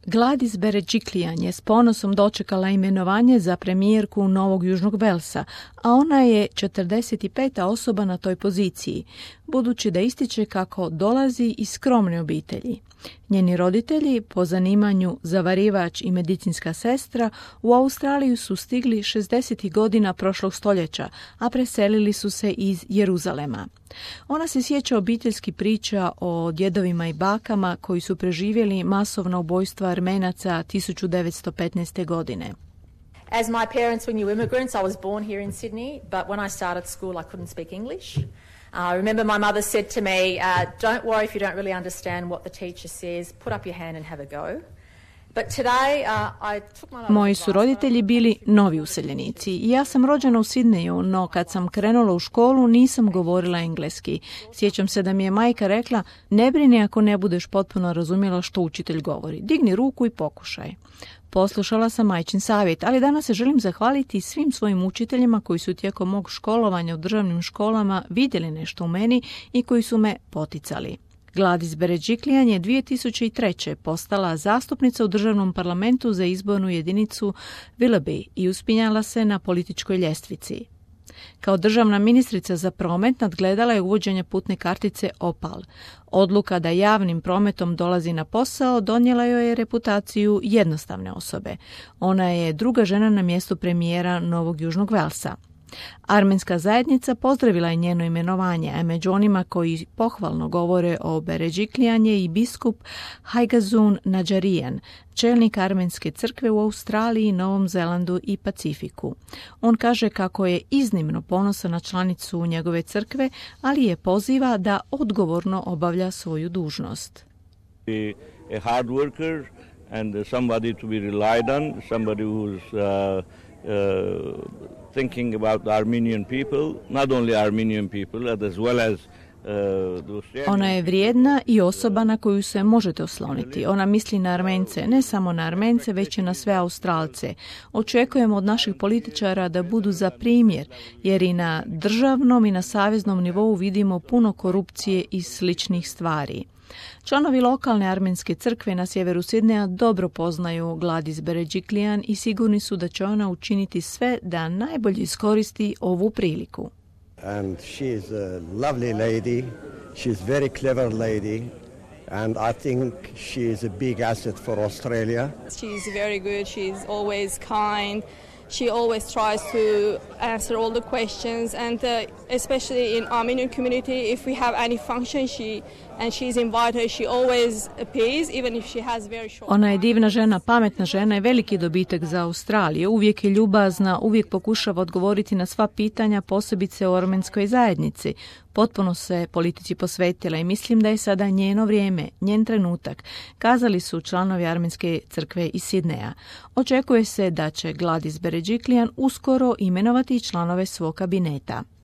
Gladys Berejiklian je s ponosom dočekala imenovanje za premijerku Novog Južnog Velsa, a ona je 45. osoba na toj poziciji, budući da ističe kako dolazi iz skromne obitelji. Njeni roditelji, po zanimanju zavarivač i medicinska sestra, u Australiju su stigli 60. godina prošlog stoljeća, a preselili su se iz Jeruzalema. Ona se sjeća obiteljskih priča o djedovima i bakama koji su preživjeli masovna ubojstva Armenaca 1915. godine. As my parents were new immigrants, I was born here in Sydney, but when I started school I couldn't speak English. I remember my mother said to me, don't worry if you don't really understand what the teacher says, put up your hand and have a go. But today, I took my Moji su roditelji bili novi useljenici i ja sam rođena u Sidneju, no kad sam krenula u školu nisam govorila engleski. Sjećam se da mi je majka rekla, ne brini ako ne budeš potpuno razumjela što učitelj govori, digni ruku i pokušaj. Poslušala sam majčin savjet, ali danas se želim zahvaliti svim svojim učiteljima koji su tijekom mog školovanja u državnim školama vidjeli nešto u meni i koji su me poticali. Gladys Berejiklian je 2003. postala zastupnica u državnom parlamentu za izbornu jedinicu Willoughby i uspinjala se na političkoj ljestvici. Kao državna ministrica za promet nadgledala je uvođenje putne kartice Opal. Odluka da javnim prometom dolazi na posao donijela joj je reputaciju jednostavne osobe. Ona je druga žena na mjestu premijera Novog Južnog Velsa. Armenska zajednica pozdravila je njeno imenovanje, a među onima koji pohvalno govore o Berejiklian je i biskup Haigazun Nadžarijan, čelnik armenske crkve u Australiji, Novom Zelandu i Pacifiku. On kaže kako je iznimno ponosan na članicu njegove crkve, ali je poziva da odgovorno obavlja svoju dužnost. A hard worker and somebody to be relied on, somebody who's thinking about the Armenian people, not only Armenian people, as well as Ona je vrijedna i osoba na koju se možete osloniti. Ona misli na Armence, ne samo na Armence, već i na sve Australce. Očekujemo od naših političara da budu za primjer, jer i na državnom i na saveznom nivou vidimo puno korupcije i sličnih stvari. Članovi lokalne armenske crkve na sjeveru Sidneja dobro poznaju Gladys Berejiklian i sigurni su da će ona učiniti sve da najbolje iskoristi ovu priliku. And she is a lovely lady. She's very clever lady. And I think she is a big asset for Australia. She's very good. She's always kind. She always tries to answer all the questions, and especially in Armenian community, if we have any function, she's invited, she always appears, even if she has very short. Ona je divna žena, pametna žena i veliki dobitak za Australiju. Uvijek je ljubazna, uvijek pokušava odgovoriti na sva pitanja, posebice u armenskoj zajednici. Potpuno se politici posvetila i mislim da je sada njeno vrijeme, njen trenutak, kazali su članovi armenske crkve iz Sidneja. Očekuje se da će Gladys Berejiklian uskoro imenovati članove svog kabineta.